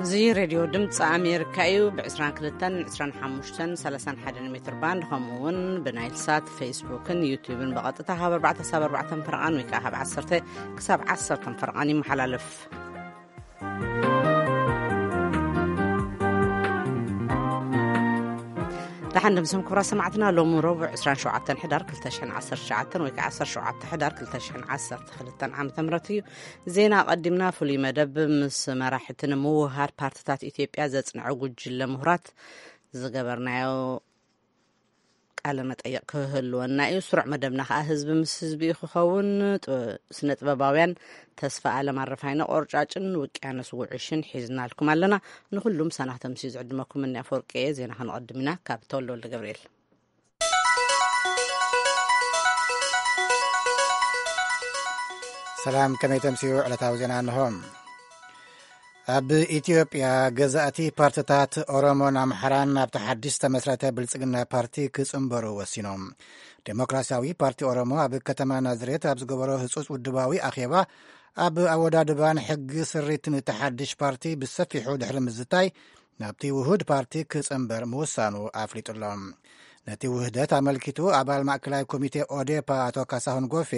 እዚ ሬድዮ ድምፂ ኣሜሪካ እዩ። ብ22፣ 25፣ 31 ሜትር ባንድ፣ ከምኡ እውን ብናይል ሳት፣ ፌስቡክን ዩቲዩብን ብቐጥታ ካብ ኣርባዕተ ክሳብ ኣርባዕተ ፈርቓን ወይ ከዓ ካብ ዓሰርተ ክሳብ ዓሰርተ ፈርቓን ይመሓላለፍ። ደሓን ድምስም ክብራ ሰማዕትና፣ ሎሚ ረቡዕ ዕስራን ሸውዓተን ሕዳር ክልተ ሽሕን ዓሰርተ ትሽዓተን ወይ ከዓ ዓሰርተ ሸውዓተ ሕዳር ክልተ ሽሕን ዓሰርተ ክልተን ዓመተ ምህረት እዩ። ዜና ኣቐዲምና፣ ፍሉይ መደብ ምስ መራሕቲ ንምውሃድ ፓርትታት ኢትዮጵያ ዘጽንዐ ጉጅለ ምሁራት ዝገበርናዮ ቃለ መጠይቕ ክህልወና እዩ። ስሩዕ መደብና ከዓ ህዝቢ ምስ ህዝቢ እዩ ክኸውን። ጥ-፣ ስነ ጥበባውያን ተስፋ ኣለም ኣረፋይነ ቆርጫጭን ውቅያኖስ ውዕሽን ሒዝናልኩም ኣለና። ንኩሉም ሳናኽ ተምስዩ ዝዕድመኩም እኒ ኣፈወርቂ እየ። ዜና ክንቐድም ኢና ካብ ተወልደ ወልደ ገብርኤል። ሰላም፣ ከመይ ተምስዩ? ዕለታዊ ዜና እንሆ። ኣብ ኢትዮጵያ ገዛእቲ ፓርትታት ኦሮሞን ኣምሓራን ናብቲ ሓድሽ ዝተመስረተ ብልጽግና ፓርቲ ክጽንበሩ ወሲኖም። ዴሞክራሲያዊ ፓርቲ ኦሮሞ ኣብ ከተማ ናዝሬት ኣብ ዝገበሮ ህጹጽ ውድባዊ ኣኼባ፣ ኣብ ኣወዳድባን ሕጊ ስሪትን እቲ ሓድሽ ፓርቲ ብሰፊሑ ድሕሪ ምዝታይ፣ ናብቲ ውሁድ ፓርቲ ክጽንበር ምውሳኑ ኣፍሊጡሎ። ነቲ ውህደት ኣመልኪቱ ኣባል ማእከላይ ኮሚቴ ኦዴፓ ኣቶ ካሳሁን ጎፌ፣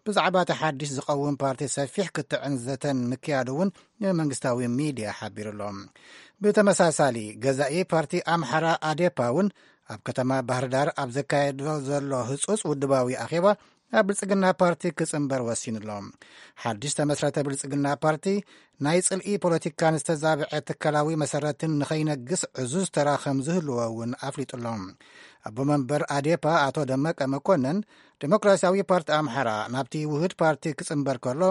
ብዛዕባ እቲ ሓድሽ ዝቐውም ፓርቲ ሰፊሕ ክትዕን ዘተን ምክያዱ እውን ንመንግስታዊ ሚድያ ሓቢሩሎ። ብተመሳሳሊ፣ ገዛኢ ፓርቲ ኣምሓራ ኣዴፓ እውን ኣብ ከተማ ባህርዳር ኣብ ዘካየዶ ዘሎ ህጹጽ ውድባዊ ኣኼባ፣ ኣብ ብልጽግና ፓርቲ ክጽንበር ወሲኑሎ። ሓድሽ ተመስረተ ብልጽግና ፓርቲ ናይ ጽልኢ ፖለቲካን ዝተዛብዐ ትካላዊ መሰረትን ንኸይነግስ ዕዙዝ ተራ ከም ዝህልዎ እውን ኣፍሊጡሎ። ኣቦ መንበር ኣዴፓ ኣቶ ደመቀ መኮነን፣ ዴሞክራሲያዊ ፓርቲ ኣምሓራ ናብቲ ውህድ ፓርቲ ክጽንበር ከሎ፣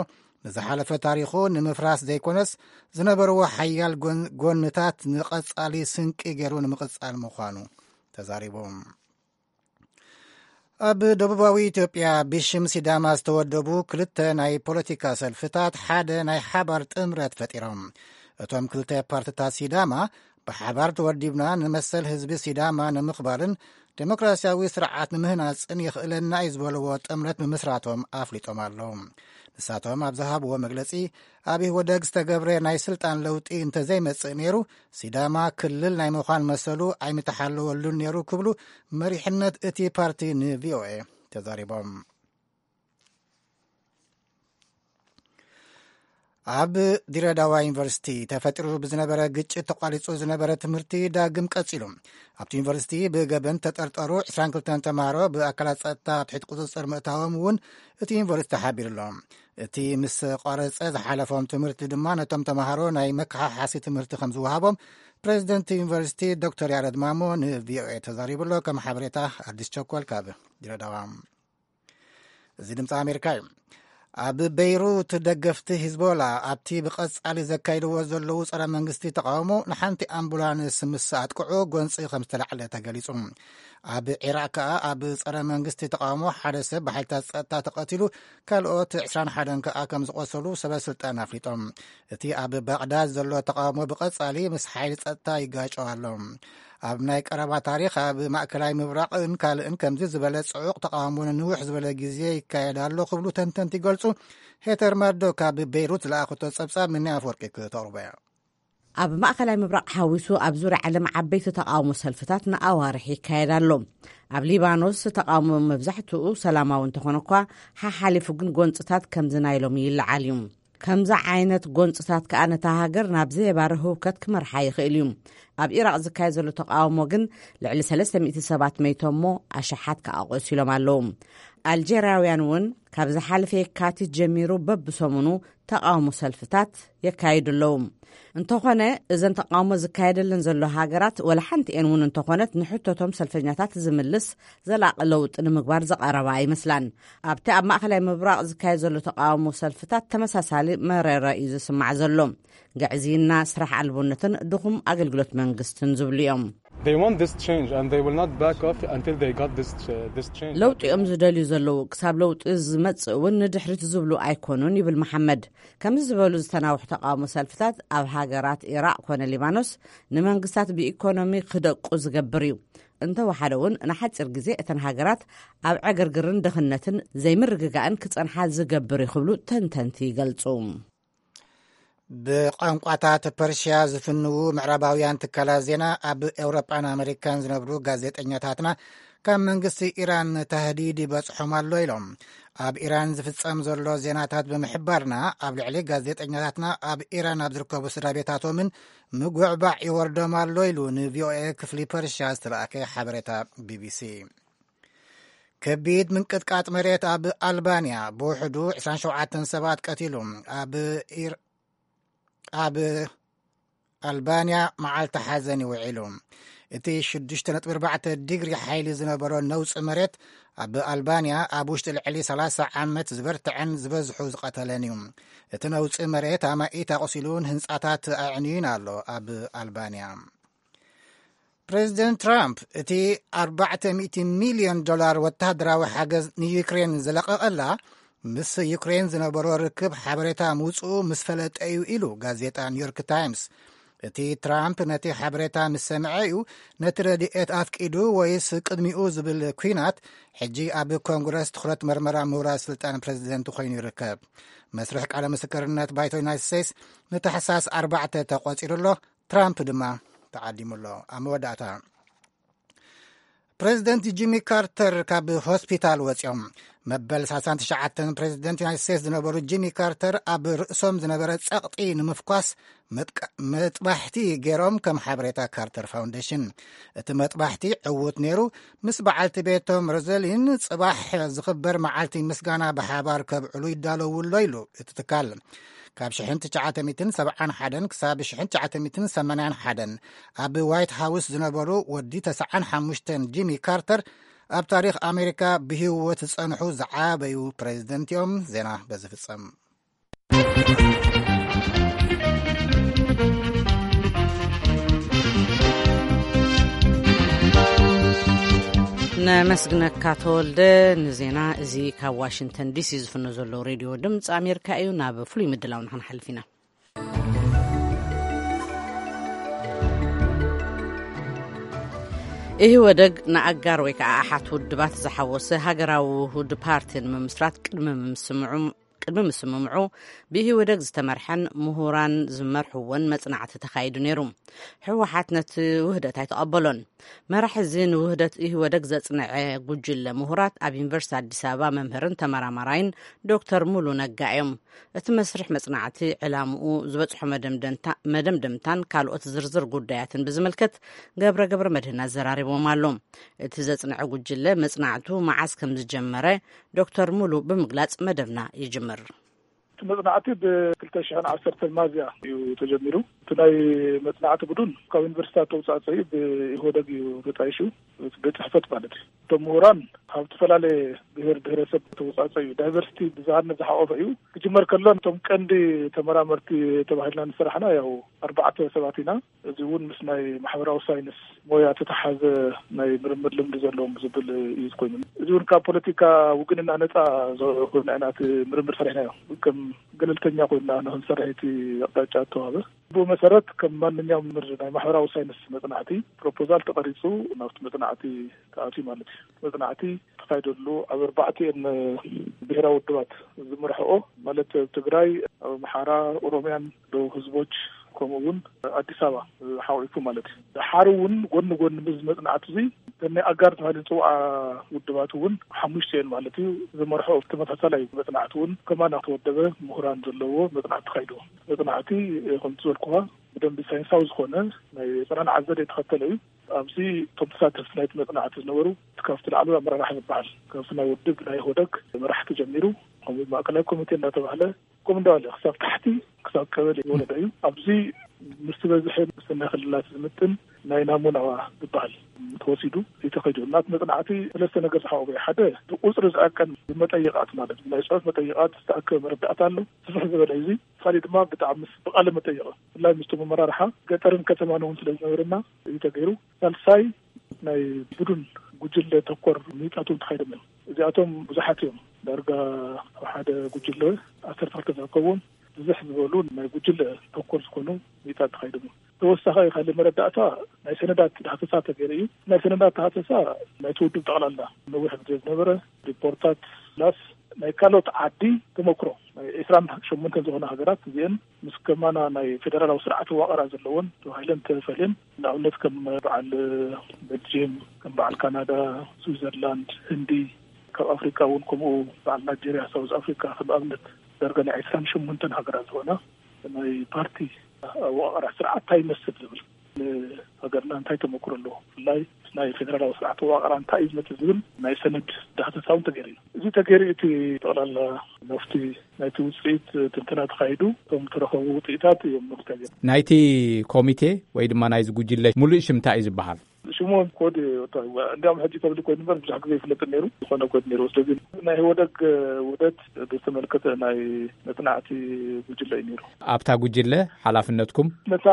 ንዝሓለፈ ታሪኹ ንምፍራስ ዘይኮነስ፣ ዝነበርዎ ሓያል ጎን-፣ ጎንታት ንቐጻሊ ስንቂ ገይሩ ንምቕጻል ምዃኑ ተዛሪቡ። ኣብ ደቡባዊ ኢትዮጵያ ብሽም ሲዳማ ዝተወደቡ ክልተ ናይ ፖለቲካ ሰልፍታት ሓደ ናይ ሓባር ጥምረት ፈጢሮም። እቶም ክልተ ፓርትታት ሲዳማ ብሓባር ተወዲብና ንመሰል ህዝቢ ሲዳማ ንምኽባርን ዴሞክራሲያዊ ስርዓት ንምህናጽን የኽእለና እዩ ዝበልዎ ጥምረት ምምስራቶም ኣፍሊጦም ኣለዉ። ንሳቶም ኣብ ዝሃብዎ መግለጺ፣ ኣብ ኢህወደግ ዝተገብረ ናይ ስልጣን ለውጢ እንተዘይመጽእ ነይሩ፣ ሲዳማ ክልል ናይ ምዃን መሰሉ ኣይምተሓለወሉን ነይሩ ክብሉ መሪሕነት እቲ ፓርቲ ንቪኦኤ ተዛሪቦም። ኣብ ድሬዳዋ ዩኒቨርሲቲ ተፈጢሩ ብዝነበረ ግጭት ተቋሪጹ ዝነበረ ትምህርቲ ዳግም ቀጺሉ። ኣብቲ ዩኒቨርሲቲ ብገበን ተጠርጠሩ ዕስራን ክልተን ተምሃሮ ብኣካላት ጸጥታ ኣብ ትሕቲ ቁጽጽር ምእታዎም እውን እቲ ዩኒቨርሲቲ ሓቢሩ ኣሎ። እቲ ምስ ቋረጸ ዝሓለፎም ትምህርቲ ድማ ነቶም ተምሃሮ ናይ መከሓሓሲ ትምህርቲ ከም ዝወሃቦም ፕሬዚደንት ዩኒቨርሲቲ ዶክተር ያረድ ማሞ ንቪኦኤ ተዛሪቡ ኣሎ። ከም ሓበሬታ ኣዲስ ቸኮል ካብ ድሬዳዋ። እዚ ድምፂ ኣሜሪካ እዩ። ኣብ በይሩት ደገፍቲ ሂዝቦላ ኣብቲ ብቐጻሊ ዘካይድዎ ዘለዉ ጸረ መንግስቲ ተቃውሞ ንሓንቲ ኣምቡላንስ ምስ ኣጥቅዑ ጎንፂ ከም ዝተላዕለ ተገሊጹ። ኣብ ዒራቅ ከኣ ኣብ ጸረ መንግስቲ ተቃውሞ ሓደ ሰብ ብሓይልታት ጸጥታ ተቐቲሉ፣ ካልኦት ዕስራን ሓደን ከኣ ከም ዝቆሰሉ ሰበ ስልጣን ኣፍሊጦም። እቲ ኣብ ባቕዳድ ዘሎ ተቃውሞ ብቐጻሊ ምስ ሓይሊ ጸጥታ ይጋጨው ኣሎ። ኣብ ናይ ቀረባ ታሪኽ ኣብ ማእከላይ ምብራቕን ካልእን ከምዚ ዝበለ ጽዑቕ ተቃውሞ ንንውሕ ዝበለ ግዜ ይካየድ ኣሎ ክብሉ ተንተንቲ ይገልጹ። ሄተር ማርዶክ ካብ ቤይሩት ዝለኣኸቶ ጸብጻብ ምኒ ኣፈወርቂ ክተቕርቦ እያ። ኣብ ማእከላይ ምብራቕ ሓዊሱ ኣብ ዙርያ ዓለም ዓበይቲ ተቃውሞ ሰልፍታት ንኣዋርሕ ይካየድ ኣሎ። ኣብ ሊባኖስ ተቃውሞ መብዛሕትኡ ሰላማዊ እንተኾነ እኳ፣ ሓሓሊፉ ግን ጎንጽታት ከምዚ ናይ ሎሚ ይለዓል እዩ። ከምዚ ዓይነት ጎንጽታት ከኣ ነታ ሃገር ናብ ዘየባሪ ህውከት ክመርሓ ይኽእል እዩ። ኣብ ኢራቕ ዝካየድ ዘሎ ተቃውሞ ግን ልዕሊ ሰለስተ ሚእቲ ሰባት መይቶም እሞ ኣሽሓት ከኣ ቆሲሎም ኣለዉ። ኣልጀርያውያን እውን ካብ ዝሓለፈ የካቲት ጀሚሩ በብሰሙኑ ተቃውሞ ሰልፍታት የካይዱ ኣለዉ። እንተኾነ፣ እዘን ተቃውሞ ዝካየደለን ዘሎ ሃገራት ወላ ሓንቲ እየን እውን እንተኾነት ንሕቶቶም ሰልፈኛታት ዝምልስ ዘላቒ ለውጢ ንምግባር ዝቐረባ ኣይመስላን። ኣብቲ ኣብ ማእከላይ ምብራቕ ዝካየድ ዘሎ ተቃውሞ ሰልፍታት ተመሳሳሊ መረረ እዩ ዝስማዕ ዘሎ። ግዕዝይና፣ ስራሕ ኣልቦነትን ድኹም ኣገልግሎት መንግስትን ዝብሉ እዮም። They want this change and they will not back off until they got this ch-, this change. ለውጢ እዮም ዝደልዩ ዘለዉ። ክሳብ ለውጢ ዝመጽእ እውን ንድሕሪት ዝብሉ ኣይኮኑን ይብል መሓመድ። ከምዚ ዝበሉ ዝተናውሑ ተቃውሞ ሰልፍታት ኣብ ሃገራት ኢራቕ ኮነ ሊባኖስ ንመንግስታት ብኢኮኖሚ ክደቁ ዝገብር እዩ። እንተወሓደ እውን ንሓጺር ግዜ እተን ሃገራት ኣብ ዕግርግርን ድኽነትን ዘይምርግጋእን ክጸንሓ ዝገብር እዩ ክብሉ ተንተንቲ ይገልጹ። ብቋንቋታት ፐርሽያ ዝፍንዉ ምዕራባውያን ትካላት ዜና፣ ኣብ ኤውሮጳን ኣመሪካን ዝነብሩ ጋዜጠኛታትና ካብ መንግስቲ ኢራን ታህዲድ ይበጽሖም ኣሎ ኢሎም። ኣብ ኢራን ዝፍጸም ዘሎ ዜናታት ብምሕባርና፣ ኣብ ልዕሊ ጋዜጠኛታትና ኣብ ኢራን ኣብ ዝርከቡ ስድራ ቤታቶምን ምጉዕባዕ ይወርዶም ኣሎ ኢሉ ንቪኦኤ ክፍሊ ፐርሽያ ዝተላእከ ሓበሬታ ቢቢሲ። ከቢድ ምንቅጥቃጥ መሬት ኣብ ኣልባንያ ብውሕዱ ዕስራን ሸውዓተን ሰባት ቀቲሉ። ኣብ ኢር-፣ ኣብ ኣልባንያ መዓልቲ ሓዘን ይውዒሉ። እቲ ሽዱሽተ ነጥቢ ኣርባዕተ ዲግሪ ሓይሊ ዝነበሮ ነውጺ መሬት ኣብ ኣልባንያ ኣብ ውሽጢ ልዕሊ ሰላሳ ዓመት ዝበርትዐን ዝበዝሑ ዝቐተለን እዩ። እቲ ነውጺ መሬት ኣማኢት ኣቑሲሉን ህንጻታት ኣዕንዩን ኣሎ። ኣብ ኣልባንያ ፕሬዚደንት ትራምፕ እቲ ኣርባዕተ ሚእቲ ሚልዮን ዶላር ወታደራዊ ሓገዝ ንዩክሬን ዝለቐቐላ፣ ምስ ዩክሬን ዝነበሮ ርክብ ሓበሬታ ምውፅኡ ምስ ፈለጠ እዩ ኢሉ ጋዜጣ ኒውዮርክ ታይምስ። እቲ ትራምፕ ነቲ ሓበሬታ ምስ ሰምዐ እዩ ነቲ ረድኤት ኣፍቂዱ ወይስ ቅድሚኡ ዝብል ኲናት ሕጂ ኣብ ኮንግረስ ትኹረት መርመራ ምውራድ ስልጣን ፕሬዚደንት ኮይኑ ይርከብ። መስርሕ ቃለ ምስክርነት ባይቶ ዩናይትድ ስቴትስ ንታሕሳስ ኣርባዕተ ተቖፂሩ ኣሎ። ትራምፕ ድማ ተዓዲሙ ኣሎ። ኣብ መወዳእታ፣ ፕሬዚደንት ጂሚ ካርተር ካብ ሆስፒታል ወፂኦም። መበል ሰላሳን ትሽዓተን ፕሬዚደንት ዩናይትድ ስቴትስ ዝነበሩ ጂሚ ካርተር ኣብ ርእሶም ዝነበረ ጸቕጢ ንምፍኳስ መጥቃ-፣ መጥባሕቲ ገይሮም፣ ከም ሓበሬታ ካርተር ፋውንዴሽን። እቲ መጥባሕቲ ዕዉት ነይሩ። ምስ በዓልቲ ቤቶም ሮዘሊን ጽባሕ ዝኽበር መዓልቲ ምስጋና ብሓባር ከብዕሉ ይዳለዉ ኣሎ ኢሉ እቲ ትካል። ካብ ሽሕን ትሽዓተ ሚእትን ሰብዓን ሓደን ክሳብ ሽሕን ትሽዓተ ሚእትን ሰማንያን ሓደን ኣብ ዋይት ሃውስ ዝነበሩ ወዲ ተስዓን ሓሙሽተን ጂሚ ካርተር ኣብ ታሪኽ ኣሜሪካ ብህይወት ዝጸንሑ ዝዓበዩ ፕሬዚደንት እዮም። ዜና በዚ ፍጸም። ነመስግነካ ተወልደ ንዜና። እዚ ካብ ዋሽንግተን ዲሲ ዝፍኖ ዘሎ ሬድዮ ድምፂ ኣሜሪካ እዩ። ናብ ፍሉይ ምድላው ንክንሓልፍ ኢና። ኢህወደግ ንኣጋር ወይ ከዓ ኣሓት ውድባት ዝሓወሰ ሃገራዊ ውሁድ ፓርቲ ንምምስራት ቅድሚ ምስምዑ ቅድሚ ምስምምዑ ብኢህወደግ ዝተመርሐን ምሁራን ዝመርሕዎን መጽናዕቲ ተኻይዱ ነይሩ። ህወሓት ነቲ ውህደት ኣይተቐበሎን። መራሕ እዚ ንውህደት ኢህወደግ ዘጽንዐ ጉጅለ ምሁራት ኣብ ዩኒቨርሲቲ ኣዲስ ኣበባ መምህርን ተመራማራይን ዶክተር ሙሉ ነጋ እዮም። እቲ መስርሕ መጽናዕቲ ዕላምኡ፣ ዝበጽሖ መደምደንታ-፣ መደምደምታን ካልኦት ዝርዝር ጉዳያትን ብዝምልከት ገብረ ገብረ መድህን ኣዘራሪቦም ኣሎ። እቲ ዘጽንዐ ጉጅለ መጽናዕቱ መዓስ ከም ዝጀመረ ዶክተር ሙሉ ብምግላጽ መደብና ይጅምር። እቲ መጽናዕቲ ብክልተ ሽሕን ዓሰርተን ሚያዝያ እዩ ተጀሚሩ። እቲ ናይ መጽናዕቲ ቡድን ካብ ዩኒቨርሲታት ተውጻእጸዩ ብኢህወደግ እዩ ተጣይሹ፣ ቤት ጽሕፈት ማለት እዩ። እቶም ምሁራን ካብ ዝተፈላለየ ብሔር ብሔረሰብ ተውጻእጸዩ፣ ዳይቨርሲቲ ብዝሃነት ዝሓቆፈ እዩ። ክጅመር ከሎ እቶም ቀንዲ ተመራመርቲ ተባሂልና ንስራሕና ያው ኣርባዕተ ሰባት ኢና። እዚ እውን ምስ ናይ ማሕበራዊ ሳይንስ ሞያ ተተሓዘ ናይ ምርምር ልምዲ ዘለዎም ዝብል እዩ ኮይኑ። እዚ እውን ካብ ፖለቲካ ውግንና ነፃ ዝኾነ ኢና እቲ ምርምር ሰሪሕናዮ። ከም ገለልተኛ ኮይና ንክንሰርሕ እቲ ኣቕጣጫ እተዋህበ። ብኡ መሰረት ከም ማንኛውም ምር-፣ ናይ ማሕበራዊ ሳይንስ መጽናዕቲ ፕሮፖዛል ተቐሪጹ ናብቲ መጽናዕቲ ተኣትዩ ማለት እዩ። መጽናዕቲ ተኻይደሉ ኣብ ኣርባዕቲኤን ብሔራዊ ውድባት ዝመርሕኦ ማለት ትግራይ፣ ኣምሓራ፣ ኦሮሚያን ደቡብ ህዝቦች ከምኡ እውን ኣዲስ ኣበባ ሓቂፉ ማለት እዩ። ድሓር እውን ጎኒ ጎኒ ምስ መጽናዕቲ እዚ ናይ ኣጋር ተባሂሉ ዝፅውዓ ውድባት እውን ሓሙሽተ እየን ማለት እዩ። ዝመርሖ ተመሳሳላይ መጽናዕቲ እውን ከማና ተወደበ ምሁራን ዘለዎ መጽናዕቲ ተኻይዱ። መጽናዕቲ ከምቲ ዝበልኩኻ ብደንቢ ሳይንሳዊ ዝኾነ ናይ ኣጸናንዓ ዘዴ ተኸተለ እዩ። ኣብዚ እቶም ተሳተፍቲ ናይቲ መጽናዕቲ ዝነበሩ ካብቲ ላዕለዋይ ኣመራርሓ ዝበሃል ካብቲ ናይ ውድብ ናይ ኢህወደግ መራሕቲ ጀሚሩ ከምኡ ማእከላይ ኮሚቴ እናተባህለ ከምኡ እንዳበለ ክሳብ ታሕቲ ክሳብ ቀበሌ ዝወረደ እዩ። ኣብዚ ምስ ዝበዝሐ ምስ ናይ ክልላት ዝምጥን ናይ ናሙና ዝበሃል ተወሲዱ እዩ ተኸይዱ። ናቲ መጽናዕቲ ሰለስተ ነገር ዝሓቆፈ እዩ። ሓደ ብቁጽሪ ዝዕቀን መጠይቓት ማለት ናይ ጽሑፍ መጠይቓት ዝተኣከበ መረዳእታ ኣሎ። ስፍሕ ዝበለ እዩ። እዚ ካልእ ድማ ብጣዕሚ ምስ ብቃለ መጠይቕ ብፍላይ ምስቶም ኣመራርሓ ገጠርን ከተማን እውን ስለ ዝነበረና እዩ ተገይሩ። ሳልሳይ ናይ ቡድን ጉጅለ ተኮር ምይጣት እውን ተኻይዶም እዮም። እዚኣቶም ብዙሓት እዮም። ዳርጋ ኣብ ሓደ ጉጅለ ዓሰርተ ክልተ ዝርከብዎም ብዝሕ ዝበሉ ናይ ጉጅለ ተኮር ዝኾኑ ምይጣት ተኻይዶም እዮም። ተወሳኺ ካልእ መረዳእታ ናይ ሰነዳት ዳህሰሳ ተገይሩ እዩ። ናይ ሰነዳት ዳህሰሳ ናይቲ ውድብ ጠቕላላ ነዊሕ ግዜ ዝነበረ ሪፖርታት ላስ ናይ ካልኦት ዓዲ ተመክሮ፣ ናይ ዕስራን ሸሞንተን ዝኾነ ሃገራት እዚአን ምስ ከማና ናይ ፌደራላዊ ስርዓት ዋቐራ ዘለዎን ተባሂለን ተፈልየን፣ ንኣብነት ከም በዓል ቤልጅየም፣ ከም በዓል ካናዳ፣ ስዊዘርላንድ፣ ህንዲ፣ ካብ ኣፍሪካ እውን ከምኡ፣ በዓል ናይጄሪያ፣ ሳውዝ ኣፍሪካ ከም ኣብነት ዳርጋ ናይ ዕስራን ሸሞንተን ሃገራት ዝኾና ናይ ፓርቲ ኣወቃቕራ ስርዓት እንታይ ይመስል ዝብል፣ ንሃገርና እንታይ ተመክሮ ኣለዎ፣ ብፍላይ ናይ ፌደራላዊ ስርዓት ኣወቃቕራ እንታይ እዩ ዝመፅእ ዝብል ናይ ሰነድ ዳህተታ እውን ተገይሩ እዩ። እዚ ተገይሩ እቲ ጠቕላላ መፍትሒ ናይቲ ውፅኢት ትንተና ተኻይዱ፣ እቶም ተረኸቡ ውፅኢታት እዮም መፍትሒ። ናይቲ ኮሚቴ ወይ ድማ ናይዚ ጉጅለ ሙሉእ ሽም እንታይ እዩ ዝበሃል? ሽሙ ኮድ፣ እንዲያውም ሕጂ ፐብሊክ ኮይኑ እምበር ብዙሕ ግዜ ይፍለጥ ነይሩ፣ ዝኾነ ኮድ ነይሩ። ስለዚ ናይ ህወደግ ውህደት ብዝተመልከተ ናይ መጽናዕቲ ጉጅለ እዩ ነይሩ። ኣብታ ጉጅለ ሓላፍነትኩም? ነታ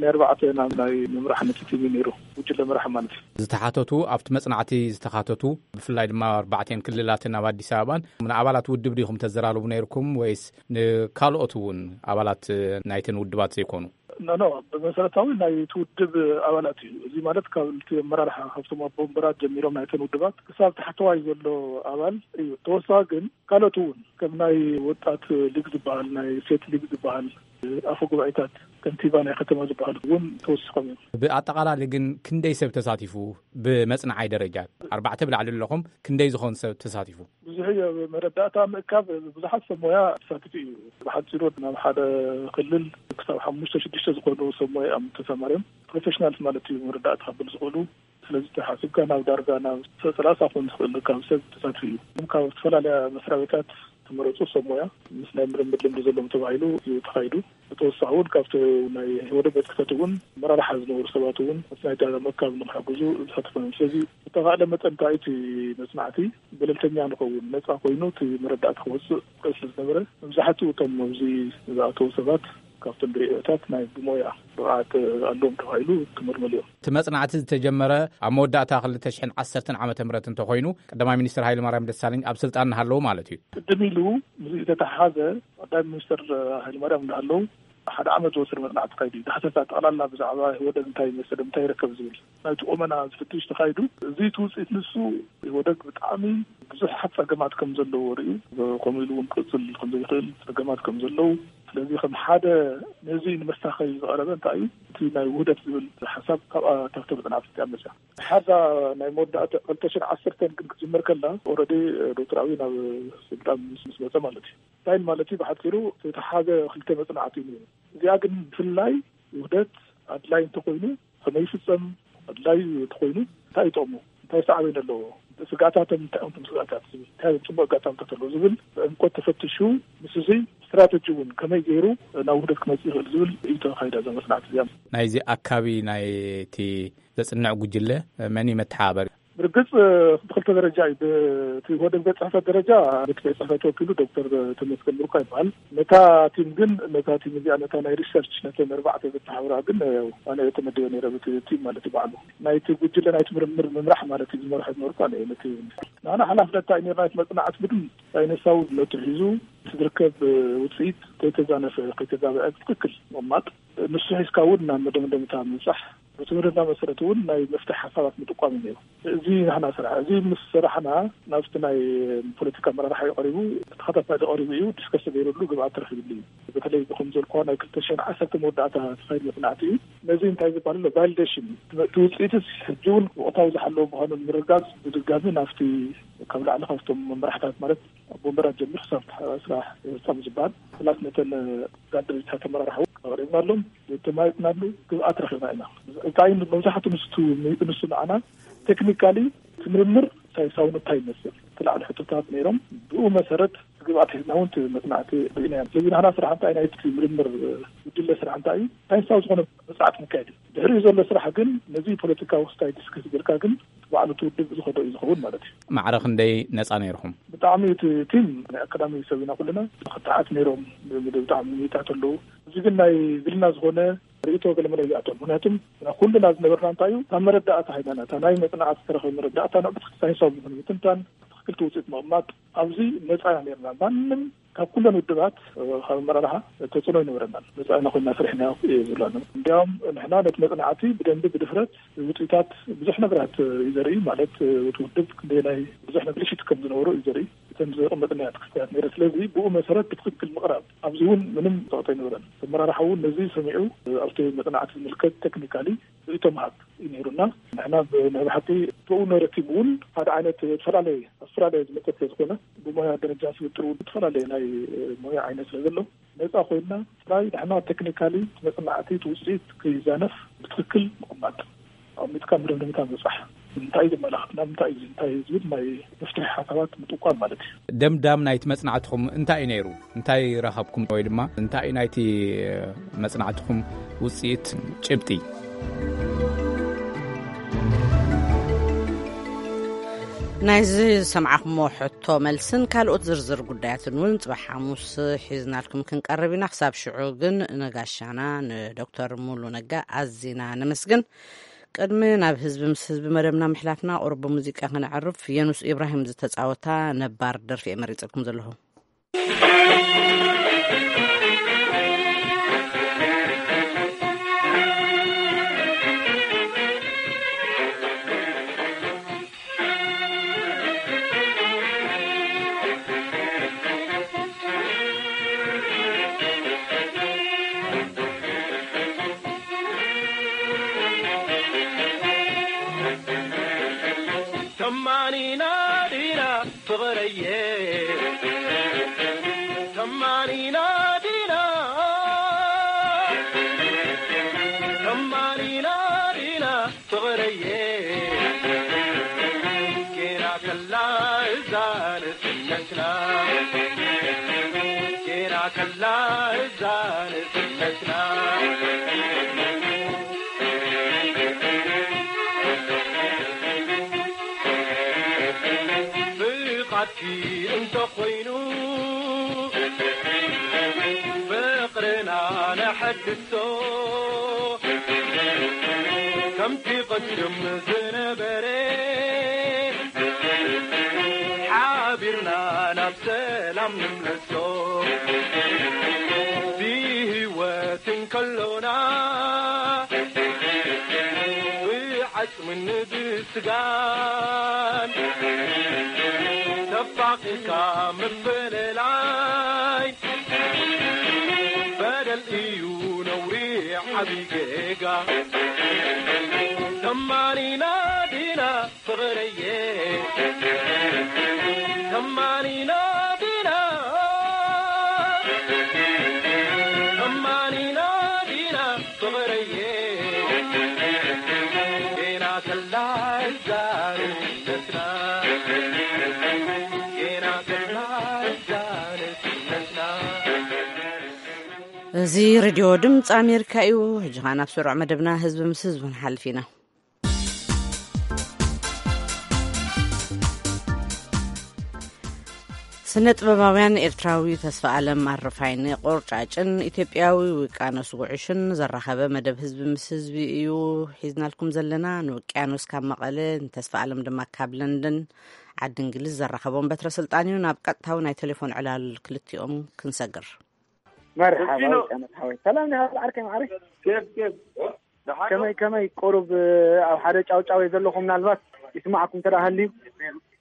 ናይ ኣርባዕተ ናብ ናይ ምምራሕ ነቲ ቲም እዩ ነይሩ፣ ጉጅለ ምራሕ ማለት እዩ። ዝተሓተቱ፣ ኣብቲ መጽናዕቲ ዝተኻተቱ፣ ብፍላይ ድማ ኣርባዕቴን ክልላትን ኣብ ኣዲስ ኣበባን ንኣባላት ውድብ ዲኹም ተዘራርቡ ነይርኩም ወይስ ንካልኦት እውን ኣባላት ናይተን ውድባት ዘይኮኑ? ኖ፣ ኖ፣ ብመሰረታዊ ናይ እቲ ውድብ ኣባላት እዩ። እዚ ማለት ካብ እቲ ኣመራርሓ፣ ካብቶም ኣቦ ወንበራት ጀሚሮም ናይተን ውድባት ክሳብ ታሕተዋይ ዘሎ ኣባል እዩ። ተወሳኺ ግን ካልኦት እውን ከም ናይ ወጣት ሊግ ዝበሃል፣ ናይ ሴት ሊግ ዝበሃል፣ ኣፈ ጉባኤታት፣ ከንቲባ ናይ ከተማ ዝበሃሉ እውን ተወሲኾም እዮም። ብኣጠቓላሊ ግን ክንደይ ሰብ ተሳቲፉ? ብመጽናዓይ ደረጃ ኣርባዕተ ብላዕሊ ኣለኹም፣ ክንደይ ዝኾን ሰብ ተሳቲፉ? ብዙሕ እዩ። መረዳእታ ምእካብ ብዙሓት ሰብ ሞያ ተሳቲፉ እዩ። ብሓጺሩ ናብ ሓደ ክልል ክሳብ ሓሙሽተ ሽዱሽተ ዝኾኑ ሰብ ሞያ እዮም ተሰማርዮም። ፕሮፌሽናልስ ማለት እዩ መረዳእታ ክብል ዝኽእሉ። ስለዚ ተሓሲብካ ናብ ዳርጋ ናብ ሰላሳ ክኾን ዝኽእል ካብ ሰብ ተሳትፉ እዩ። ካብ ዝተፈላለያ መስሪያ ቤታት ተመረፁ ሰብ ሞያ ምስ ናይ ምርምር ልምዲ ዘለዎም ተባሂሉ እዩ ተኻይዱ። ብተወሳኺ እውን ካብቲ ናይ ወደብ ቤት ጽሕፈት እውን መራርሓ ዝነበሩ ሰባት እውን ምስ ናይ ዳርጋ ምእካብ ንክሕግዙ ዝተሳተፈ እዮም። ስለዚ ዝተኻእለ መጠን እንታይ እቲ መጽናዕቲ ገለልተኛ ንኸውን፣ ነጻ ኮይኑ እቲ መረዳእታ ክወጽእ ይኽእል ስለ ዝነበረ፣ መብዛሕትኡ እቶም ኣብዚ ዝኣተዉ ሰባት ካብቶም ብርእዮታት ናይ ብሞያ ብቕዓት ኣለዎም ተባሂሉ ክምርመሉ እዮም። እቲ መጽናዕቲ ዝተጀመረ ኣብ መወዳእታ ክልተ ሽሕን ዓሰርተን ዓመተ ምህረት እንተኾይኑ፣ ቀዳማይ ሚኒስትር ሃይለማርያም ደሳለኝ ኣብ ስልጣን እናሃለዉ ማለት እዩ። ቅድም ኢሉ ምስዚ ዝተተሓሓዘ ቀዳማይ ሚኒስትር ሃይለማርያም እናሃለዉ ሓደ ዓመት ዝወሰደ መጽናዕቲ ተኻይዱ እዩ። ዳህሰሳ ጠቕላላ ብዛዕባ ህወደግ እንታይ ይመስል፣ እንታይ ይረከብ ዝብል ናይቲ ቁመና ዝፍትሽ ተኻይዱ። እዚ እቲ ውፅኢት ንሱ ህወደግ ብጣዕሚ ብዙሓት ጸገማት ከም ዘለዎ ርእዩ፣ ከምኡ ኢሉ እውን ክቕጽል ከም ዘይኽእል ጸገማት ከም ዘለዉ። ስለዚ ከም ሓደ ነዚ ንምስታኸይ ዝቐረበ እንታይ እዩ፣ እቲ ናይ ውህደት ዝብል ሓሳብ ካብኣ፣ ካብቲ መጽናዕቲ እዚኣ መጽያ። ሓዛ ናይ መወዳእታ ክልተ ሽሕን ዓሰርተን ግን ክትጅምር ከላ፣ ኦልሬዲ ዶክተር ኣብይ ናብ ስልጣን ምስ፣ ምስ መጸ ማለት እዩ። እንታይ ማለት እዩ? ብሓጺሩ ዝተተሓዘ ክልተ መጽናዕቲ እዩ ነይሩ። እዚኣ ግን ብፍላይ ውህደት ኣድላይ እንተኾይኑ ከመይ ይፍጸም፣ ኣድላይ እንተኾይኑ እንታይ ይጠቕሙ፣ እንታይ ሳዕቤን ኣለዎ፣ ስግኣታቶም እንታይ እዮም፣ እቶም ስግኣታት እንታይ እዮም፣ ጽቡቕ ኣጋጣሚታት ኣለዎ ዝብል ብዕምቆት ተፈቲሹ፣ ምስ እዚ ስትራተጂ እውን ከመይ ገይሩ ናብ ውህደት ክመጽእ ይኽእል ዝብል እዩ ተኻይዳ እዛ መጽናዕቲ እዚኣ። ናይዚ ኣካቢ ናይቲ ዘጽንዕ ጉጅለ መን እዩ መተሓባበሪ? ብርግጽ ብክልተ ደረጃ እዩ። ብቲ ወደብ ቤት ጽሕፈት ደረጃ እቲ ቤት ጽሕፈት ወኪሉ ዶክተር ተመስገን ብሩካ ይበሃል። ነታ ቲም ግን፣ ነታ ቲም እዚኣ፣ ነታ ናይ ሪሰርች፣ ነተን ኣርባዕተ ዘተሓብራ ግን ኣነ እየ ተመዲበ ነይረ፣ በቲ ቲም ማለት እዩ። ባዕሉ ናይቲ ጉጅለ ናይቲ ምርምር ምምራሕ ማለት እዩ፣ ዝመርሖ ዝነበርኩ ኣነ እየ። ነቲ ንሕና ሓላፍነትና እዩ ነይርና፣ እቲ መጽናዕቲ ምድም ሳይንሳዊ ነቱ ሒዙ እቲ ዝርከብ ውጽኢት ከይተዛነፈ፣ ከይተጋብዐ ብትክክል ምቕማጥ፣ ንሱ ሒዝካ እውን ናብ መደምደምታ ምብጻሕ፣ በቲ መደምደምታ መሰረት እውን ናይ መፍትሒ ሓሳባት ምጥቋም እዩ ነይሩ። እዚ ናህና ስራሕ፣ እዚ ምስ ሰራሕና ናብቲ ናይ ፖለቲካ ኣመራርሓ እዩ ቀሪቡ፣ ተኸታታሊ ቀሪቡ እዩ፣ ዲስከስ ተገይሩሉ ግብኣት ተረኺብሉ እዩ። በተለይ ብኸም ዘልኳ ናይ ክልተ ሽሕን ዓሰርተ መወዳእታ ተኻይድ መጽናዕቲ እዩ። ነዚ እንታይ ዝበሃል ኣሎ? ቫሊዴሽን እዩ። እቲ ውፅኢትስ ሕጂ እውን ወቕታዊ ዝሓለወ ምዃኑ ንምርጋፅ ብድጋሚ ናብቲ ካብ ላዕሊ ካብቶም መመራሕታት ማለት ኣብ ወንበራት ጀሚሩ ክሳብ ስራሕ ይፍጸም ዝበሃል፣ ፕላስ ነተን ጋር ድርጅታት ተመራርሓ እውን ኣቕሪብናሎም፣ ተማይጥናሉ ግብኣት ረኺብና ኢና። እንታይ መብዛሕትኡ ንሱ፣ ንሱ ንዓና ቴክኒካሊ እቲ ምርምር ሳይንሳውነት እንታይ ይመስል፣ እቲ ላዕሊ ሕቶታት ነይሮም፣ ብኡ መሰረት ግብኣት ሒዝና እውን እቲ መጽናዕቲ ርኢና ኢና። ስለዚ ናህና ስራሕ እንታይ ናይቲ ምርምር ጉጅለ ስራሕ እንታይ እዩ? ሳይንሳዊ ዝኾነ መጽናዕቲ ምካየድ እዩ። ድሕሪኡ ዘሎ ስራሕ ግን ነዚ ፖለቲካዊ ክስታይ ዲስከስ ጌርካ ግን ባዕሉ እቲ ውድብ ዝኸዶ እዩ ዝኸውን ማለት እዩ። ማዕረ ክንደይ ነጻ ነይርኹም? ብጣዕሚ እቲ ቲም ናይ ኣካዳሚ ሰብ ኢና ኩልና። ክትዓት ነይሮም፣ ብጣዕሚ ሚኒታት ኣለዉ። እዚ ግን ናይ ግልና ዝኾነ ርእይቶ ገለመለ ይኣቶም። ምክንያቱም ኩልና ዝነበርና እንታይ እዩ፣ እታ መረዳእታ ሃይማኖት፣ እታ ናይ መጽናዕቲ ዝተረኸበ መረዳእታ ንዕብት ሳይንሳዊ ዝኾነ ምትንታን፣ ትኽክልቲ ውፅኢት ምቕማጥ፣ ኣብዚ ነፃ ኢና ነይርና። ማንም ካብ ኩለን ውድባት፣ እ፣ ካብ ኣመራርሓ ተጽዕኖ ኣይነበረናን። መጻኢና ኮይና ስሪሕና እዩ ዝብላና። እንዲያውም ንሕና ነቲ መጽናዕቲ ብደንቢ ብድፍረት ውጽኢታት ብዙሕ ነገራት እዩ ዘርኢ። ማለት፣ እቲ ውድብ ክንደየናይ ብዙሕ ነገር ሽት ከም ዝነበሩ እዩ ዘርኢ። እተን ዘቐመጥናዮ ክስተያት ነይረ። ስለዚ ብኡ መሰረት ብትኽክል ምቕራብ፣ ኣብዚ እውን ምንም ጸቕጢ ኣይነበረን። ኣመራርሓ እውን ነዚ ሰሚዑ ኣብቲ መጽናዕቲ ዝምልከት ቴክኒካሊ ርእይቶ ምሃብ እዩ ነይሩና። ንሕና ብ-፣ ናይ ብሓቂ ብኡ ነረቲብ እውን ሓደ ዓይነት ዝተፈላለየ፣ ኣውስትራልያ ዝመጸ ስለ ዝኾነ ብሞያ ደረጃ ስብጥር እውን ዝተፈላለየ ናይ ሞያ ዓይነት ስለ ዘሎ ነጻ ኮይንና ጥራይ ንሕና ቴክኒካሊ መጽናዕቲ እቲ ውጽኢት ክይዛነፍ ብትኽክል ምቕማጥ፣ ኣቐሚጥካ መደምደምታ ምብጻሕ፣ እንታይ ዘመላኽትና፣ እንታይ እዩ፣ እንታይ እዩ ዝብል ናይ መፍትሒ ሓሳባት ምጥቋም ማለት እዩ። ደምዳም ናይቲ መጽናዕትኹም እንታይ እዩ ነይሩ? እንታይ ረኸብኩም? ወይ ድማ እንታይ እዩ ናይቲ መጽናዕትኹም ውጽኢት ጭብጢ? ናይዚ ዝሰማዕኹሞ ሕቶ መልስን ካልኦት ዝርዝር ጉዳያትን እውን ጽባሕ ሓሙስ ሒዝናልኩም ክንቀርብ ኢና። ክሳብ ሽዑ ግን ንጋሻና ንዶክተር ሙሉ ነጋ ኣዚና ነመስግን። ቅድሚ ናብ ህዝቢ ምስ ህዝቢ መደብና ምሕላፍና፣ ቁሩብ ብሙዚቃ ከነዕርፍ። የኑስ ኢብራሂም ዝተጻወታ ነባር ደርፊ እየ መሪጸልኩም ዘለኹ። ተማኒና ዲና ፍቕረየ፣ ተማኒና ዲና፣ ተማኒና ዲና ፍቕረየ፣ ጌና ከላ እዛ ንስነትና፣ ጌና ከላ እዛ ንስነትና። ፍቓድኪ እንተኾይኑ ፍቕርና ነሐድሶ፣ ከምቲ ቅድም ዝነበረ ሓቢርና ናብ ሰላም ንምለሶ። ብህይወት እንከሎና ብዓጽምን ብስጋን ተፋቒርካ ምፍልላይ በደል እዩ ነውሪ ዓቢ ጌጋ። ተማኒና ዲና ፍቕረየ፣ ተማኒና ዲና፣ ተማኒና ዲና ፍቕረየ፣ ጌና ከላ እዛ ንስነትና፣ ጌና ከላ እዛ ንስነትና። እዚ ሬድዮ ድምፂ ኣሜሪካ እዩ። ሕጂ ኸዓ ናብ ስሩዕ መደብና ህዝቢ ምስ ህዝቢ ንሓልፍ ኢና። ስነ ጥበባውያን ኤርትራዊ ተስፋ ኣለም ኣረፋይን ቆርጫጭን ኢትዮጵያዊ ውቅያኖስ ጉዕሽን ዘራኸበ መደብ ህዝቢ ምስ ህዝቢ እዩ ሒዝናልኩም ዘለና። ንውቅያኖስ ካብ መቐለ፣ ንተስፋ ኣለም ድማ ካብ ለንደን ዓዲ እንግሊዝ ዘራኸቦም በትረ ስልጣን እዩ። ናብ ቀጥታዊ ናይ ቴሌፎን ዕላል ክልቲኦም ክንሰግር። መርሓባ ውቅያኖስ ሓወይ። ሰላም ዲኻ ዓርከይ ማዕረይ? ኬፍ ኬፍ። ደሓን ዶ? ከመይ ከመይ ቁሩብ ኣብ ሓደ ጫውጫው እየ ዘለኹ፣ ምናልባት ይስማዓኩም እንተ ደኣ ሃልዩ።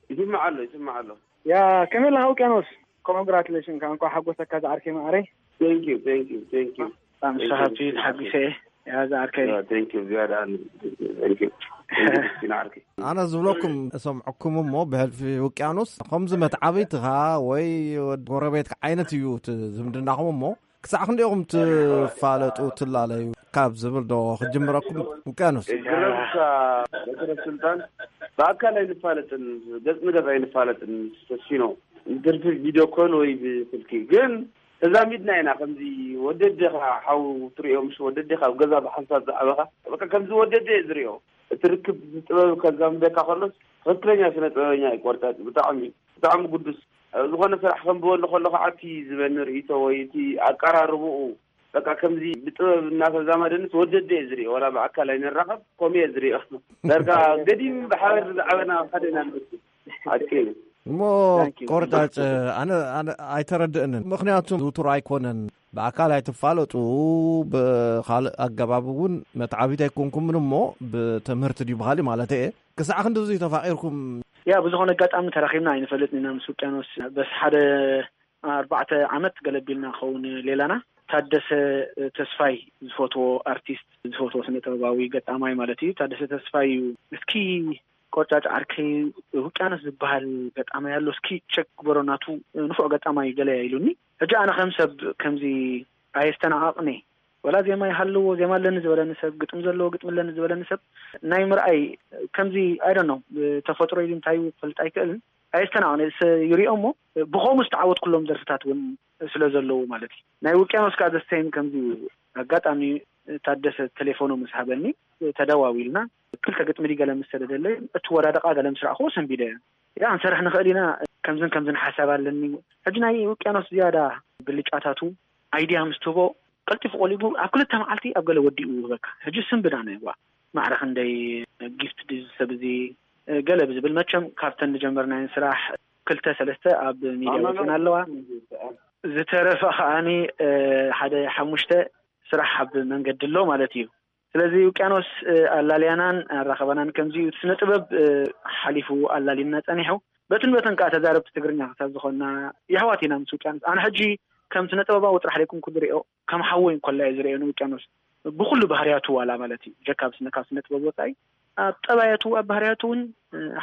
ይስማዕ ኣሎ፣ ይስማዕ ኣሎ። ያ፣ ከመይ ኣለኻ ውቅያኖስ? ኮንግራቹሌሽን፣ እንኳዕ ሓጎሰካ ዝዓርከይ ማዕረይ። Thank you, thank you, thank you. ኣምሳኻቱ ተሓጒሰ እየ። ያ፣ ዝዓርከይ። ያ፣ thank you፣ ዝያዳ ኣሎ። Thank you። Thank you፣ ምስኪን ዓርከይ። ኣነ ዝብለኩም፣ ሰምዕኩም እሞ ብሕልፊ ውቅያኖስ ከምዚ መትዓብይትኻ ወይ ወድ ጎረቤትካ ዓይነት እዩ እቲ ዝምድናኹም እሞ፣ ክሳዕ ክንደይ ኢኹም ትፋለጡ፣ ትላለዩ ካብ ዝብል ዶ ክጅምረኩም? ውቅያኖስ። ግረምካ በትረ ስልጣን ብኣካል ኣይንፋለጥን፣ ገጽ ንገጽ ኣይንፋለጥን። ተስፊኖ፣ ብትርፊ ቪድዮ ኮል ወይ ብስልኪ ግን ተዛሚድና ኢና። ከምዚ ወደዴኻ ሓው ትርእዮ፣ ምስ ወደዴኻ ኣብ ገዛ ብሓንሳብ ዝዓበኻ፣ በቃ ከምዚ ወደዴ እየ ዝርእዮ። እቲ ርክብ ጥበብ ከዛምደካ ከሎስ ትኽክለኛ ስነ ጥበበኛ እዩ ቆርጫጭ። ብጣዕሚ፣ ብጣዕሚ ግዱስ። ኣብ ዝኾነ ስራሕ ከንብበሉ ከለኹ፣ እቲ ዝበኒ ርእይቶ ወይ እቲ ኣቀራርብኡ፣ በቃ ከምዚ ብጥበብ እናተዛመደንስ ወደዴ እየ ዝርእዮ። ዋላ ብኣካል ኣይንራኸብ፣ ከምኡ እየ ዝርእዮ። ዳርጋ ገዲም ብሓባር ዝዓበና ኣብ ሓደ ኢና ንመስል። ሓቂ እዩ። እሞ ቆርጫጭ፣ ኣነ ኣይተረድእንን። ምክንያቱም ዝውቱር ኣይኮነን፣ ብኣካል ኣይትፋለጡ፣ ብካልእ ኣገባብ እውን መትዓቢት ኣይኮንኩምን፣ እሞ ብትምህርቲ ድዩ ብካሊእ ማለት እየ፣ ክሳዕ ክንድዚ ተፋቂርኩም? ያ ብዝኾነ ኣጋጣሚ ተራኺብና ኣይንፈልጥን ኢና ምስ ውቅያኖስ። በስ ሓደ ኣርባዕተ ዓመት ገለቢልና ክኸውን ሌላና። ታደሰ ተስፋይ ዝፈትዎ ኣርቲስት፣ ዝፈትዎ ስነ ጥበባዊ ገጣማይ ማለት እዩ። ታደሰ ተስፋይ እዩ። እስኪ ቆርጫጭ ዓርከይ፣ ውቅያኖስ ዝበሃል ገጣማይ ኣሎ፣ እስኪ ቸክ ግበሮ፣ ናቱ ንፉዕ ገጣማይ ገለ ኢሉኒ። ሕጂ ኣነ ከም ሰብ ከምዚ ኣየስተናቓቕኒ። ወላ ዜማ ይሃልዎ፣ ዜማ ኣለኒ ዝበለኒ ሰብ፣ ግጥሚ ዘለዎ ግጥሚ ኣለኒ ዝበለኒ ሰብ ናይ ምርኣይ ከምዚ፣ ኣይ ዶንት ኖ፣ ተፈጥሮ ኢሉ እንታይ እዩ ክፈልጥ ኣይክእልን። ኣየስተናቕኒ። ይሪኦ እሞ ብኸምኡ ዝተዓወትኩሎም ደርፍታት እውን ስለ ዘለዉ ማለት እዩ። ናይ ውቅያኖስ ከዓ ዘስተይም ከምዚ ኣጋጣሚ ታደሰ ቴሌፎኑ ምስ ሃበኒ፣ ተደዋዊልና፣ ክልተ ግጥሚ ድዩ ገለ ምስ ሰደደለይ፣ እቲ ወዳደቃ ገለ ምስ ረኣኽዎ ሰንቢደ። ያ ክንሰርሕ ንኽእል ኢና፣ ከምዝን ከምዝን ሓሳብ ኣለኒ። ሕጂ ናይ ውቅያኖስ ዝያዳ ብልጫታቱ፣ ኣይድያ ምስ ትህቦ ቀልጢፉ ቆሊጉ ኣብ ክልተ መዓልቲ ኣብ ገለ ወዲኡ ይህበካ። ሕጂ ስንብዳ ናይ ዋ ማዕረ ክንደይ ጊፍት ድዩ ሰብ እዚ ገለ ብዝብል፣ መቸም ካብተን ዝጀመርናየን ስራሕ ክልተ ሰለስተ ኣብ ሚድያ ወፂና ኣለዋ። ዝተረፈ ከዓኒ ሓደ ሓሙሽተ ስራሕ ኣብ መንገዲ ኣሎ ማለት እዩ። ስለዚ ውቅያኖስ ኣላልያናን ኣራኸበናን ከምዚ እዩ። እቲ ስነ ጥበብ ሓሊፉ ኣላሊና ጸኒሑ። በትን በትን ከዓ ተዛረብቲ ትግርኛ ክሳብ ዝኾንና የሕዋት ኢና ምስ ውቅያኖስ። ኣነ ሕጂ ከም ስነ ጥበባዊ ጥራሕ ደይኮንኩ ዝሪኦ፣ ከም ሓወይ እንኮላ እየ ዝሪኦ ንውቅያኖስ። ብኩሉ ባህርያቱ ዋላ ማለት እዩ። ጀካ ኣብ ስነ፣ ካብ ስነ ጥበብ ወጻኢ ኣብ ጠባያቱ፣ ኣብ ባህርያቱ እውን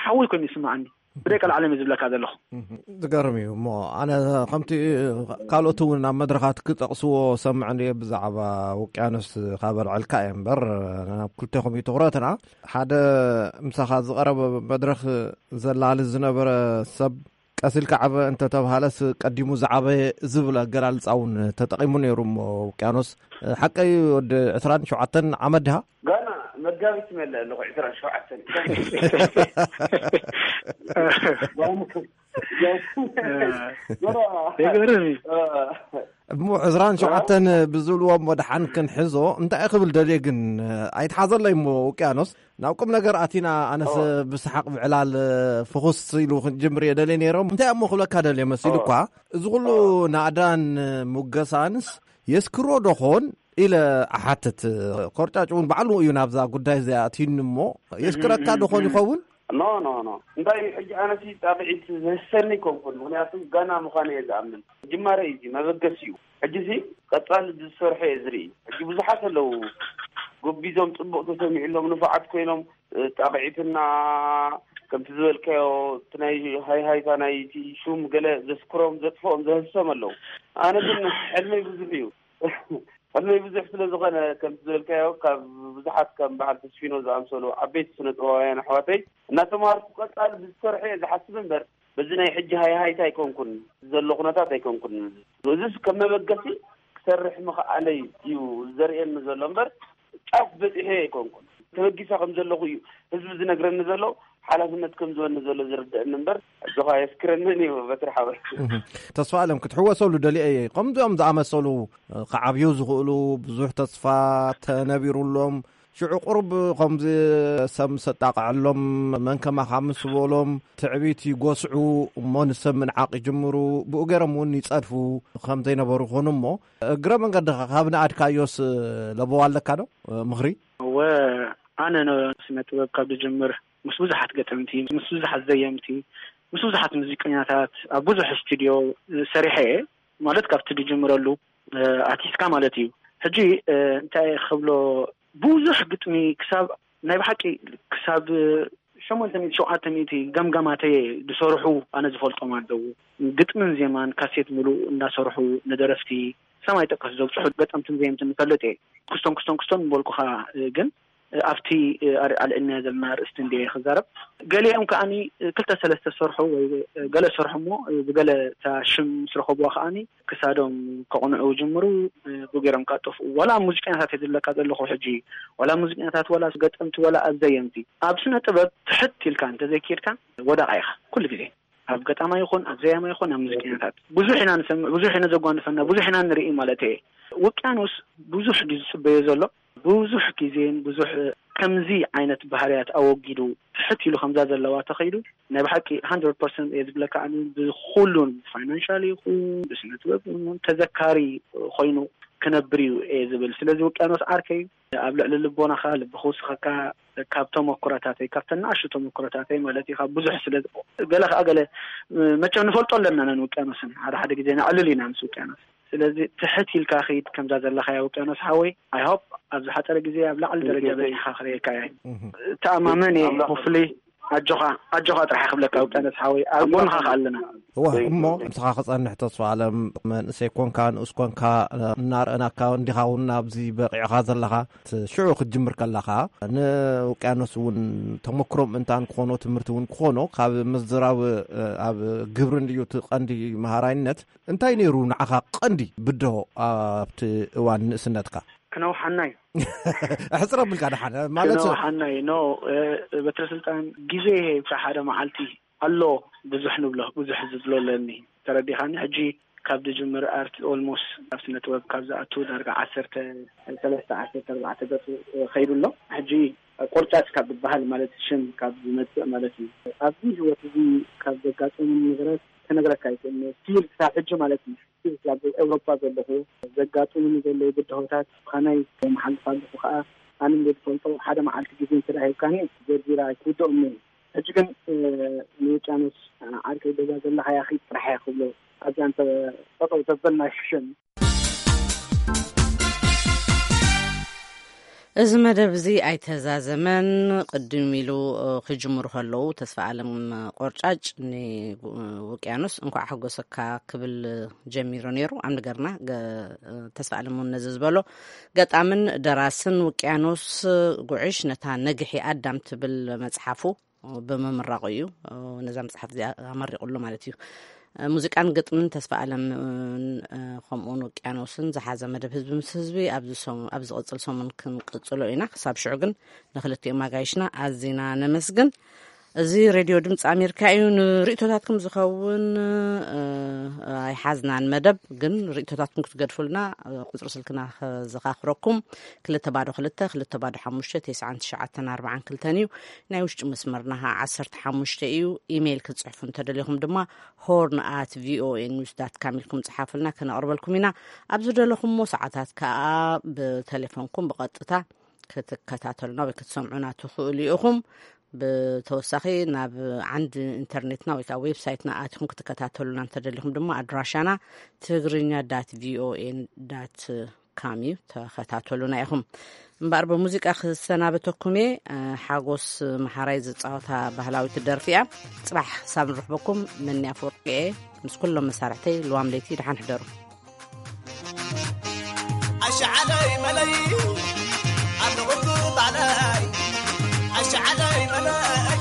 ሓወይ ኮይኑ ይስምዓኒ። ብደቂ ዓለም እዩ ዝብለካ ዘለኹ። ዝገርም እዩ እሞ፣ ኣነ ከምቲ ካልኦት እውን ኣብ መድረኻት ክጠቕስዎ ሰምዕ እንድየ ብዛዕባ ውቅያኖስ ካብ ኣልዕልካ እየ እምበር፣ ናብ ክልቴኹም እዩ ትኹረትና። ሓደ ምሳኻ ዝቐረበ መድረኽ ዘላሊ ዝነበረ ሰብ ቀስ ኢልካ ዓበ እንተተብሃለስ ቀዲሙ ዝዓበየ ዝብል ኣገላልጻ እውን ተጠቒሙ ነይሩ እሞ፣ ውቅያኖስ ሓቀይ ወዲ ዕስራን ሸውዓተን ዓመት ድሃ? ጋና መጋቢት መለ ኣለኹ ዕስራን ሸውዓተን። የገርም እዩ። እሞ ዕስራን ሸውዓተን ብዝብልዎ እሞ ደሓን ክንሕዞ እንታይ ክብል ደልየ ግን ኣይትሓዘለይ እሞ ውቅያኖስ ናብ ቁም ነገር ኣቲና ኣነስ ብሰሓቕ ብዕላል ፍኹስ ኢሉ ክንጅምር እየ ደልየ ነይሮም። እንታይ እሞ ክብለካ ደልየ መሲሉ እኳ እዚ ኩሉ ናእዳን ሙገሳንስ የስክሮ ዶኾን ኢለ ኣሓትት። ኮርጫጭ እውን ባዕሉ እዩ ናብዛ ጉዳይ እዚኣ ኣትዩኒ እሞ የስክረካ ዶኾን ይኸውን? ኖ ኖ ኖ እንታይ ሕጂ ኣነሲ ጣቕዒት ዘህሰኒ ኣይኮንኩን። ምክንያቱ ጋና ምዃነ እየ ዝኣምን። ጅማረ እዩ፣ መበገሲ እዩ። ሕጂሲ ቀጻሊ ዝሰርሖ እየ ዝርኢ። ሕጂ ብዙሓት ኣለዉ ጎቢዞም ጽቡቕ ተሰሚዕሎም ንፉዓት ኮይኖም ጣቕዒትና ከምቲ ዝበልካዮ እቲ ናይ ሃይሃይታ ናይቲ ሹም ገለ ዘስክሮም ዘጥፍኦም ዘህሶም ኣለዉ። ኣነ ግን ሕልመይ ብዙሕ እዩ። ሕልመይ ብዙሕ ስለ ዝኾነ ከምቲ ዝበልካዮ ካብ ብዙሓት ከም በዓል ተስፊኖ ዝኣምሰሉ ዓበይቲ ስነ ጥበባውያን ኣሕዋተይ እናተማሃርኩ ቀጻሊ ብዝሰርሖ እየ ዝሓስብ እምበር በዚ ናይ ሕጂ ሃይሃይታ ኣይኮንኩን ዘሎ ኩነታት ኣይኮንኩን። እዚስ ከም መበገሲ ክሰርሕ ምኽኣለይ እዩ ዘርእየኒ ዘሎ እምበር ጫፍ በጺሐ ኣይኮንኩን። ተበጊሰ ከም ዘለኹ እዩ ህዝቢ ዝነግረኒ ዘሎ፣ ሓላፍነት ከም ዝበኒ ዘሎ ዝርድአኒ እምበር ኣጆኻ የስክረንን እዩ በትሪ ሓወይ። ተስፋ ኣለም ክትሕወሰሉ ደሊየ እየ። ከምዚኦም ዝኣመሰሉ ክዓብዩ ዝኽእሉ ብዙሕ ተስፋ ተነቢሩሎም ሽዑ ቁሩብ ከምዚ ሰብ ምስ ኣጣቕዐሎም መን ከማኻ ምስ በሎም ትዕቢት ይጎስዑ እሞ ንሰብ ምንዓቕ ይጅምሩ። ብኡ ገይሮም እውን ይጸድፉ ከም ዘይነበሩ ይኾኑ እሞ እግረ መንገድኻ ካብ ንኣድካዮስ ለበዋ ኣለካ ዶ ምኽሪ? እወ ኣነ ንስነ ጥበብ ካብ ዝጅምር ምስ ብዙሓት ገጠምቲ፣ ምስ ብዙሓት ዘየምቲ፣ ምስ ብዙሓት ሙዚቀኛታት ኣብ ብዙሕ ስቱድዮ ሰሪሐ እየ። ማለት ካብቲ ዝጅምረሉ ኣትሒዝካ ማለት እዩ። ሕጂ እንታይ ክብሎ ብዙሕ ግጥሚ ክሳብ ናይ ብሓቂ ክሳብ ሸሞንተ ሚእቲ ሸውዓተ ሚእቲ ገምጋማተየ ዝሰርሑ ኣነ ዝፈልጦም ኣለዉ። ግጥምን ዜማን ካሴት ምሉእ እንዳሰርሑ ንደረፍቲ ሰማይ ጠቀስ ዘብፅሑ ገጠምትን ዘየምትን ንፈልጥ እየ። ክስቶን ክስቶን ክስቶን ምበልኩኻ ግን ኣብቲ ኣልዕልናዮ ዘለና ኣርእስቲ እንድየ ክዛረብ። ገሊኦም ከኣኒ ክልተ ሰለስተ ዝሰርሑ ወይ ገለ ዝሰርሑ እሞ ብገለ እታ ሽም ምስ ረኸብዋ ከኣኒ ክሳዶም ከቕንዑ ይጅምሩ። ብገይሮም ከኣ ጠፍኡ። ዋላ ኣብ ሙዚቀኛታት እየ ዝብለካ ዘለኹ ሕጂ። ዋላ ሙዚቀኛታት፣ ዋላ ገጠምቲ፣ ዋላ ኣብ ዘየምቲ። ኣብ ስነ ጥበብ ትሕት ኢልካ እንተዘይከድካ ወዳቓ ኢኻ ኩሉ ግዜ። ኣብ ገጣማ ይኹን፣ ኣብ ዘያማ ይኹን፣ ኣብ ሙዚቀኛታት ብዙሕ ኢና ንሰምዕ፣ ብዙሕ ኢና ዘጓንፈና፣ ብዙሕ ኢና ንርኢ ማለት እየ። ውቅያኖስ ብዙሕ ድዩ ዝጽበዮ ዘሎ? ብዙሕ ግዜን ብዙሕ ከምዚ ዓይነት ባህርያት ኣወጊዱ ትሕት ኢሉ ከምዛ ዘለዋ ተኸይዱ ናይ ብሓቂ hundred percent እየ ዝብለካ። ኣነ ብኩሉን ፋይናንሻል ይኹን ብስነ ጥበብ ይኹን ተዘካሪ ኮይኑ ክነብር እዩ እየ ዝብል። ስለዚ ውቅያኖስ ዓርከይ ኣብ ልዕሊ ልቦናኻ ልቢ ክውስኸካ ካብ ተመኩረታተይ ካብተን ንኣሽቱ ተመኩረታተይ ማለት እዩ። ካብ ብዙሕ ስለ ገለ ከዓ ገለ መቸም ንፈልጦ ኣለና ነን ውቅያኖስን ሓደ ሓደ ግዜ ነዕልል ኢና ምስ ውቅያኖስ። ስለዚ ትሕት ኢልካ ኺድ ከምዛ ዘለኻያ ውቅያኖስ ሓወይ። I hope ኣብ ዝሓፀረ ግዜ ኣብ ላዕሊ ደረጃ በፂሕካ ክርእየካ እየ። ተኣማመን እየ። ሆፍሊ ኣጆኻ ኣጆኻ ጥራሕ ክብለካ ውቅያኖስ ሓወይ ኣብ ጎንኻ ከኣ ኣለና። እዋ እሞ ምሳኻ ክጸንሕ ተስፋ ኣለም። መንእሰይ ኮንካ ንኡስ ኮንካ እናርአናካ እንዲኻ እውን ኣብዚ በቂዕኻ ዘለኻ። ሽዑ ክትጅምር ከለኻ ንውቅያኖስ እውን ተመክሮ ምእንታን ክኾኖ ትምህርቲ እውን ክኾኖ ካብ ምዝራብ ኣብ ግብሪ እንድዩ እቲ ቀንዲ መሃራይነት። እንታይ ነይሩ ንዓኻ ቀንዲ ብድሆ ኣብቲ እዋን ንእስነትካ? ክነውሓና እዩ። ሕፅር ኣቢልካ ደሓን ማለት ክነውሓና እዩ። ኖ በትረ ስልጣን ግዜ ይሄ ሓደ መዓልቲ ኣሎ። ብዙሕ ንብሎ ብዙሕ ዝብሎ ኣለኒ። ተረዲኻኒ? ሕጂ ካብ ድጅምር ኣርት ኦልሞስት ኣብ ስነ ጥበብ ካብ ዝኣቱ ዳርጋ ዓሰርተ ሰለስተ ዓሰርተ ኣርባዕተ ገፁ ከይዱ ኣሎ። ሕጂ ቆርጫጭ ካብ ዝበሃል ማለት ሽም ካብ ዝመፅእ ማለት እዩ። ኣብዚ ህይወት እዚ ካብ ዘጋጠሙኒ ነገራት ከነግረካ ኣይክእልን እየ። ስቲል ክሳብ ሕጂ ማለት እዩ። ስቲል ኣብ ኤውሮፓ ዘለኹ ዘጋጥሙኒ ዘለዉ ብድሆታት ብኸመይ የመሓልፍ ኣለኹ ከዓ ኣነ እንደ ዝፈልጦ ሓደ መዓልቲ ግዜ እንተ ሂብካኒ ዘርዚረ ኣይክውድኦም እየ። ሕጂ ግን ንውቅያኖስ ዓርከይ ገዛ ዘለኻያ ኺድ ጥራሕ እየ ክብሎ ኣብዛ እንተ ጠጠው ተበልና ይሕሸኒ። እዚ መደብ እዚ ኣይተዛዘመን። ቅድም ኢሉ ክጅምሩ ከለዉ ተስፋ ኣለም ቆርጫጭ ንውቅያኖስ እንኳዕ ሓጎሰካ ክብል ጀሚሩ ነይሩ። ኣብ ነገርና ተስፋ ኣለም እውን ነዚ ዝበሎ ገጣምን ደራስን ውቅያኖስ ጉዕሽ ነታ ነግሒ ኣዳም ትብል መጽሓፉ ብምምራቑ እዩ ነዛ መጽሓፍ እዚኣ ኣመሪቑሉ ማለት እዩ። ሙዚቃን ግጥምን ተስፋ ኣለም ከምኡውን ውቅያኖስን ዝሓዘ መደብ ህዝቢ ምስ ህዝቢ ኣብዚ ዝቕፅል ሰሙን ክንቅፅሎ ኢና። ክሳብ ሽዑ ግን ንክልቲኦም ኣጋይሽና ኣዚና ነመስግን። እዚ ሬድዮ ድምፂ ኣሜሪካ እዩ። ንርእቶታትኩም ዝኸውን ኣይሓዝናን መደብ ግን ርእቶታትኩም ክትገድፉልና ቁፅሪ ስልክና ከዘኻኽረኩም ክልተ ባዶ ክልተ ክልተ ባዶ ሓሙሽተ ተስዓን ትሽዓተን ኣርባዓን ክልተን እዩ። ናይ ውሽጢ መስመርና ከዓ ዓሰርተ ሓሙሽተ እዩ። ኢሜይል ክትፅሕፉ እንተደሊኹም ድማ ሆርን ኣት ቪኦኤ ኒውስ ዳት ካም ኢልኩም ፅሓፉልና፣ ከነቕርበልኩም ኢና። ኣብ ዝደለኹምዎ ሰዓታት ከዓ ብቴሌፎንኩም ብቐጥታ ክትከታተሉና ወይ ክትሰምዑና ትኽእሉ ኢኹም። ብተወሳኺ ናብ ዓንዲ ኢንተርኔትና ወይ ከዓ ዌብሳይትና ኣቲኹም ክትከታተሉና እንተደሊኹም ድማ ኣድራሻና ትግርኛ ዳት ቪኦኤ ዳት ካም እዩ። ተኸታተሉና ኢኹም። እምበኣር ብሙዚቃ ክሰናበተኩም እየ። ሓጎስ መሓራይ ዝፃወታ ባህላዊት ደርፊ እያ። ፅባሕ ክሳብ ንረኽበኩም መኒ ኣፈወርቂ እየ ምስ ኩሎም መሳርሕተይ ልዋም ለይቲ ደሓን ሕደሩ። ኣሻዓለይ መለይ ኣለኹ ባዕለይ ኣሻዓለይ መለይ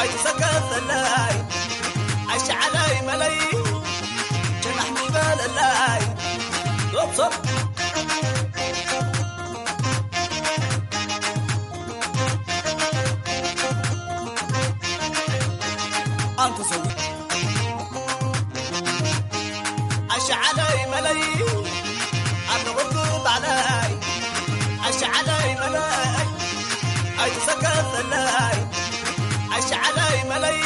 ኣይትሰከፈለይ ኣሻዓለይ መለይ ጀናሕ ሚበለለይ ዞብዞብ ኣንተ ሰው ኣሻዓለይ መለይ ኣለኹ ባዕለይ ኣሻዓለይ መለይ ኣይትሰከፈለይ ኣሻዓለይ መለይ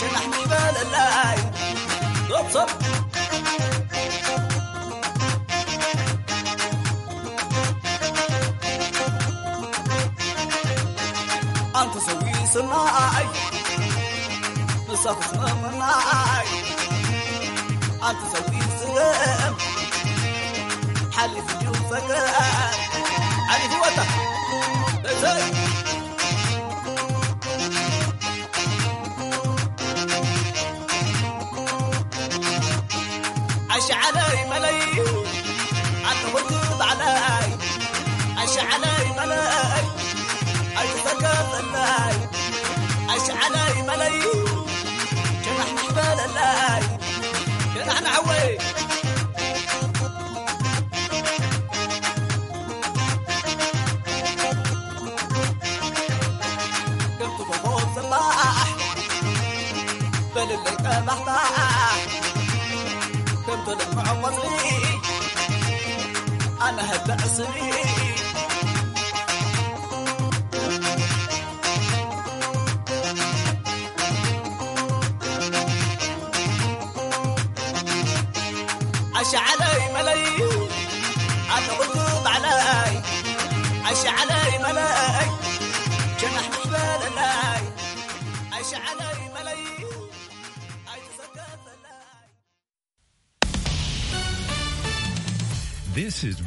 ጀናሕ ሚበለለይ ዞብዞብ ኣንተ ሰዊ ስናይ ንሳኹ ስናይ ኣንተ ሰዊ ስለም ሓሊፉ እዩ ፈገር ዓሊፉ ወጣ እዘይ ኣሻዓለይ መለይ ኣተወቱ ባዕለይ ኣሻዓለይ መለይ ኣይትፈከፈለይ ኣሻዓለይ መለይ ጀናሕ ንሕበለለይ ጀናሕ ንዓወይ This is